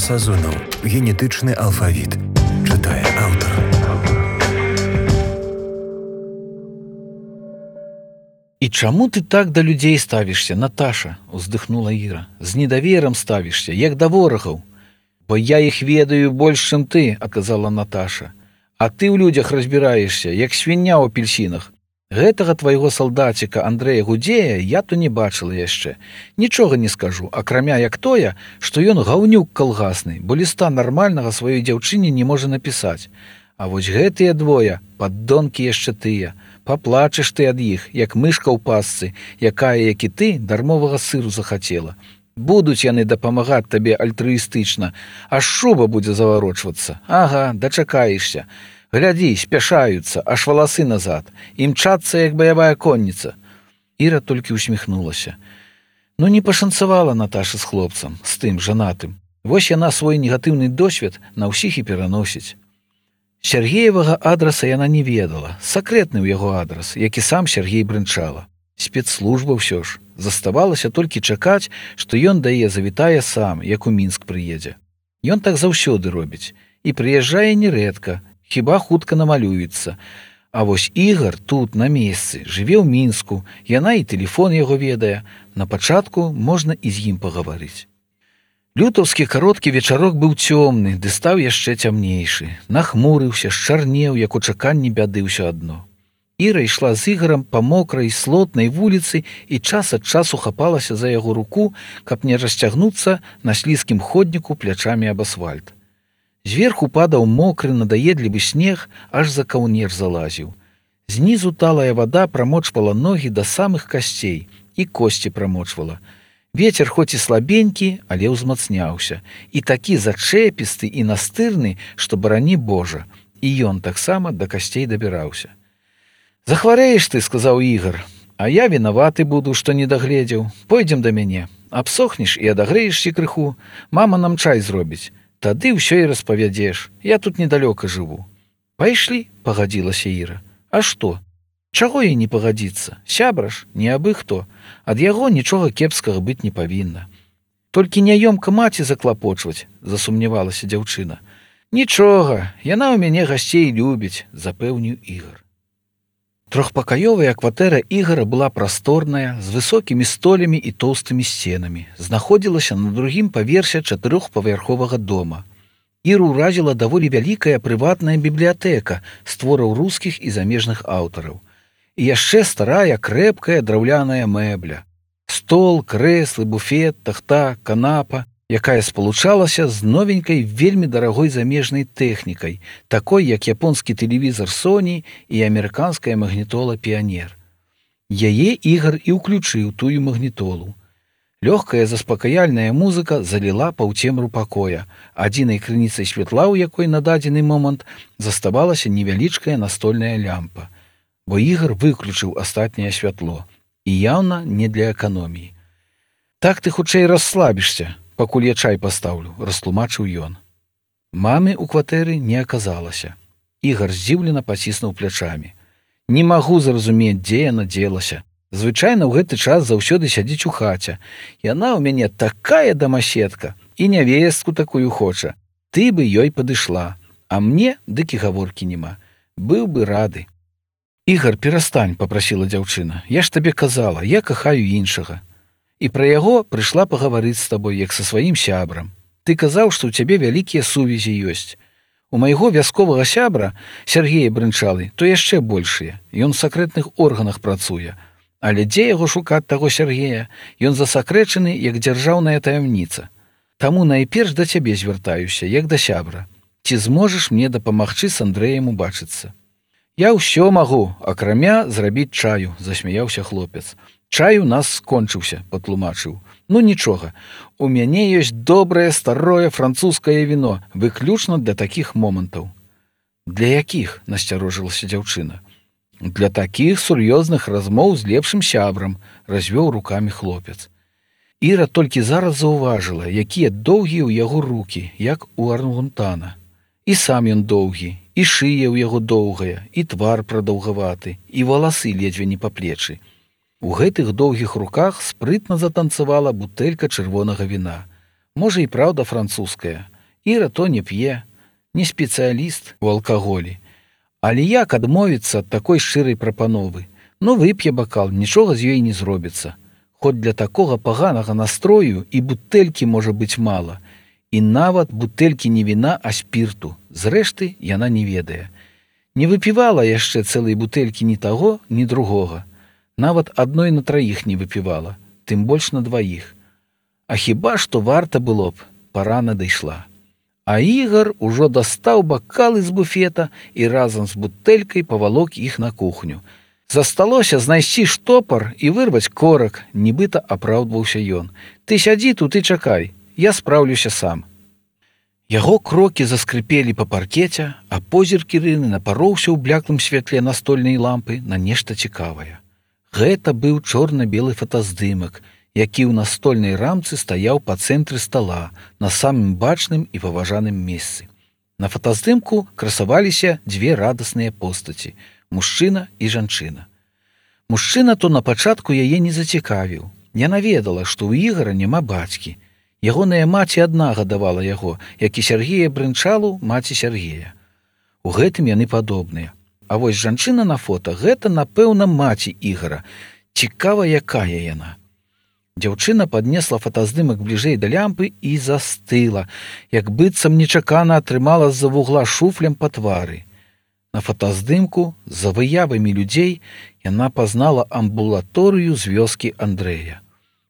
Сазонаў. Генетычны алфавіт. Чытае аўтар. «І чаму ты так да людзей ставішся, Наташа?» – уздыхнула Іра. «З недаверам ставішся, як да ворагаў». «Бо я іх ведаю больш, чым ты», – адказала Наташа. «А ты ў людзях разбіраешся, як свіння ў апельсінах. Гэтага твайго салдаціка Андрэя Гудзея я то не бачыла яшчэ. Нічога не скажу, акрамя як тое, што ён гаўнюк калгасны, бо ліста нармальнага сваёй дзяўчыне не можа напісаць. А вось гэтыя двое, паддонкі яшчэ тыя, паплачаш ты ад іх, як мышка ў пасцы, якая, як і ты, дармовага сыру захацела. Будуць яны дапамагаць табе альтрыістычна, аж шуба будзе заварочвацца. Ага, дачакаешся. Глядзі, спяшаюцца, аж валасы назад, імчацца, як баявая конніца». Іра толькі усміхнулася. Ну не пашанцавала Наташа з хлопцам, з тым жанатым. Вось яна свой негатыўны досвед на ўсіх і пераносіць. Сяргеевага адраса яна не ведала, сакрэтны ў яго адрас, які сам Сяргей брынчала. Спецслужба ўсё ж. Заставалася толькі чакаць, што ён да яе завітае сам, як у Мінск прыедзе. Ён так заўсёды робіць. І прыязджае нерэдка, хіба хутка намалюецца. А вось Ігар тут, на месцы, жыве ў Мінску, яна і тэлефон яго ведае. На пачатку можна і з ім пагаварыць. Лютаўскі кароткі вечарок быў цёмны, ды стаў яшчэ цямнейшы. Нахмурыўся, счарнеў, як у чаканні бяды ўсё адно. Іра ішла з Ігарам па мокрай, слотнай вуліцы і час ад часу хапалася за яго руку, каб не расцягнуцца на слізкім ходніку плячамі аб асфальт. Зверху падаў мокры, надаедлівы снег, аж за каўнер залазіў. Знізу талая вада прамочвала ногі да самых касцей, і косці прамочвала. Вецер хоць і слабенькі, але ўзмацняўся, і такі зачэпісты і настырны, што барані Божа, і ён таксама да касцей дабіраўся. «Захварэеш ты», – сказаў Ігар, – «а я вінаваты буду, што не дагледзеў. Пойдзем да мяне. Абсохнеш і адагрэешся крыху. Мама нам чай зробіць. Тады ўсё і распавядзеш. Я тут недалёка жыву». «Пайшлі», – пагадзілася Іра. «А што? Чаго ей не пагадзіцца? Сябра ж, не абы хто. Ад яго нічога кепскага быць не павінна». «Толькі няёмка маці заклапочваць», – засумнявалася дзяўчына. «Нічога, яна ў мяне гасцей любіць», – запэўніў Ігар. Трохпакаёвая кватэра Ігара была прасторная, з высокімі столямі і тоўстымі сценамі. Знаходзілася на другім паверсе 4-павярховага дома. Іру ўразіла даволі вялікая прыватная бібліятэка з твораў рускіх і замежных аўтараў. І яшчэ старая, крэпкая драўляная мэбля. Стол, крэслы, буфет, тахта, канапа, якая спалучалася з новенькай, вельмі дарагой замежнай тэхнікай, такой, як японскі тэлевізар Sony і амерыканская магнітола «Піянер». Яе Ігар і ўключыў тую магнітолу. Лёгкая заспакаяльная музыка заліла паўцемру пакоя, адзінай крыніцай святла, у якой на дадзены момант заставалася невялічкая настольная лямпа, бо Ігар выключыў астатняе святло, і яўна не для эканоміі. «Так ты хутчэй расслабішся, пакуль я чай пастаўлю», – растлумачыў ён. Мамы ў кватэры не аказалася. Ігар здзіўлена паціснуў плячамі. «Не магу зразумець, дзе яна дзелася. Звычайна ў гэты час заўсёды сядзіць у хаце. Яна ў мяне такая дамаседка і нявестку такую хоча. Ты бы ёй падышла, а мне дык і гаворкі няма. Быў бы рады». «Ігар, перастань», – папрасіла дзяўчына. «Я ж табе казала, я кахаю іншага. І пра яго прыйшла пагаварыць з табой, як са сваім сябрам. Ты казаў, што ў цябе вялікія сувязі ёсць. У майго вясковага сябра, Сяргея Брынчалы, то яшчэ большыя. Ён у сакрэтных органах працуе. Але дзе яго шукаць таго Сяргея? Ён засакрэчаны, як дзяржаўная таямніца. Таму найперш да цябе звяртаюся, як да сябра. Ці зможаш мне дапамагчы з Андрэем убачыцца?» «Я ўсё магу, акрамя зрабіць чаю», – засмяяўся хлопец. «Чай у нас скончыўся», – патлумачыў. «Ну нічога, у мяне ёсць добрае старое французскае віно, выключна для такіх момантаў». «Для якіх?» – насцярожылася дзяўчына. «Для такіх сур'ёзных размоў з лепшым сябрам», – развёў рукамі хлопец. Іра толькі зараз заўважыла, якія доўгія ў яго рукі, як у арангутана. І сам ён доўгі, і шыя ў яго доўгая, і твар прадаўгаваты, і валасы ледзьве не па плечы. У гэтых доўгіх руках спрытна затанцавала бутэлька чырвонага віна. Можа і праўда французская. Іра то не п'е, не спецыяліст у алкаголі. Але як адмовіцца ад такой шчырай прапановы? Ну, вып'е бакал, нічога з ёй не зробіцца. Хоць для такога паганага настрою і бутэлькі можа быць мала. І нават бутэлькі не віна, а спірту. Зрэшты, яна не ведае. Не выпівала яшчэ цэлай бутэлькі ні таго, ні другога. Нават адной на траіх не выпівала, тым больш на дваіх. А хіба што варта было б, пара надышла. А Ігар ужо дастаў бакалы з буфета і разам з бутэлькай павалок іх на кухню. Засталося знайсці штопар і вырваць корак, нібыта апраўдваўся ён. Ты сядзі тут і чакай, я спраўлюся сам. Яго крокі заскрыпелі па паркеце, а позірк Ірыны напароўся ў бляклым святле настольнай лампы на нешта цікавае. Гэта быў чорна-белы фотаздымак, які ў настольнай рамцы стаяў па цэнтры стала, на самым бачным і паважаным месцы. На фотаздымку красаваліся дзве радасныя постаці – мужчына і жанчына. Мужчына то на пачатку яе не зацікавіў. Яна ведала, што ў Ігара няма бацькі. Ягоная маці адна гадавала яго, як і Сяргея Брынчалу, маці Сяргея. У гэтым яны падобныя. А вось жанчына на фота – гэта, напэўна, маці Ігара. Цікава, якая яна. Дзяўчына паднесла фотаздымак бліжэй да лямпы і застыла, як быццам нечакана атрымала з-за вугла шуфлем па твары. На фотаздымку, за выявамі людзей, яна пазнала амбулаторыю з вёскі Андрэя.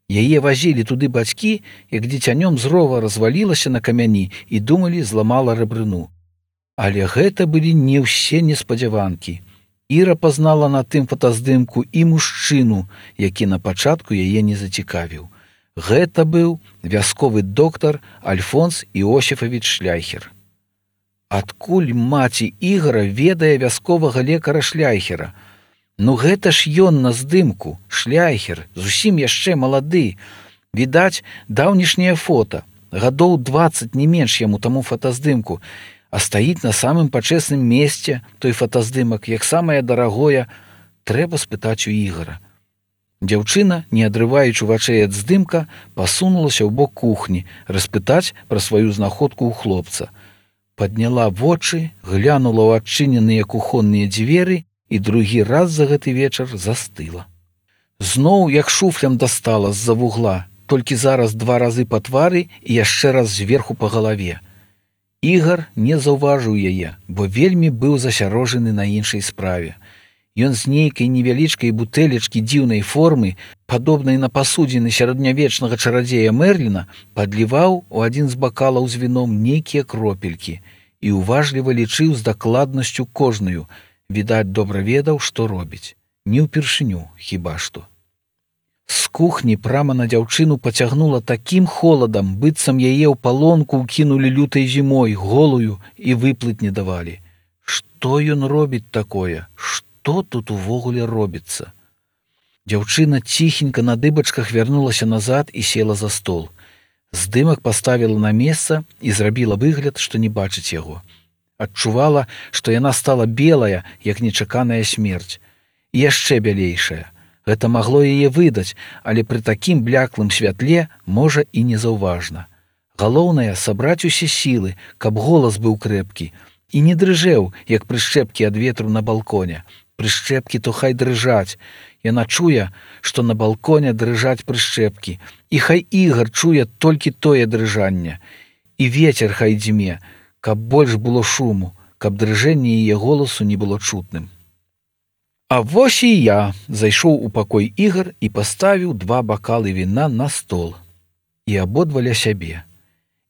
Яе вазілі туды бацькі, як дзіцянём з рова развалілася на камяні і думалі, зламала рэбрыну. Але гэта былі не ўсе неспадзяванкі. Іра пазнала на тым фотаздымку і мужчыну, які на пачатку яе не зацікавіў. Гэта быў вясковы доктар Альфонс Іосіфавіч Шляйхер. Адкуль маці Ігара ведае вясковага лекара Шляйхера? Ну гэта ж ён на здымку, Шляйхер, зусім яшчэ малады. Відаць, даўнішняе фота, гадоў 20 не менш яму таму фотаздымку, а стаіць на самым пачэсным месцы той фотаздымак, як самае дарагое, трэба спытаць у Ігара. Дзяўчына, не адрываючы вачэй ад здымка, пасунулася ў бок кухні, распытаць пра сваю знаходку ў хлопца. Падняла вочы, глянула ў адчыненыя кухонныя дзверы і другі раз за гэты вечар застыла. Зноў, як шуфлям дастала з-за вугла, толькі зараз 2 разы па твары і яшчэ раз зверху па галаве. Ігар не заўважыў яе, бо вельмі быў засярожаны на іншай справе. Ён з нейкай невялічкай бутэлечкі дзіўнай формы, падобнай на пасудзіны сярэднявечнага чарадзея Мерліна, падліваў у адзін з бакалаў з віном нейкія кропелькі і уважліва лічыў з дакладнасцю кожную. Відаць, добра ведаў, што робіць. Не ўпершыню, хіба што. З кухні прама на дзяўчыну пацягнула такім холадам, быццам яе ў палонку ўкінулі лютай зімой, голую, і выплыць не давалі. Што ён робіць такое? Што тут увогуле робіцца? Дзяўчына ціхенька на дыбачках вярнулася назад і села за стол. Здымак паставіла на месца і зрабіла выгляд, што не бачыць яго. Адчувала, што яна стала белая, як нечаканая смерць. І яшчэ бялейшая. Гэта магло яе выдаць, але пры такім бляклым святле, можа, і незаўважна. Галоўнае — сабраць усе сілы, каб голас быў крэпкі, і не дрыжэў, як прышчэпкі ад ветру на балконе. Прышчэпкі то хай дрыжаць. Яна чуе, што на балконе дрыжаць прышчэпкі, і хай Ігар чуе толькі тое дрыжанне. І вецер хай дзьме, каб больш было шуму, каб дрыжэнне яе голасу не было чутным. А вось і я зайшоў у пакой Ігар і паставіў 2 бакалы віна на стол. І абодва ля сябе.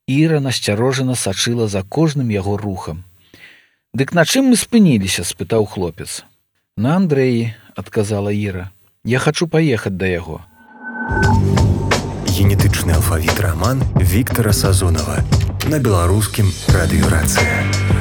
Іра насцярожана сачыла за кожным яго рухам. «Дык на чым мы спыніліся?» – спытаў хлопец. «На Андрэі», – адказала Іра. «Я хачу паехаць да яго». Генетычны алфавіт раман Віктара Сазонава на беларускім радыёрацыі.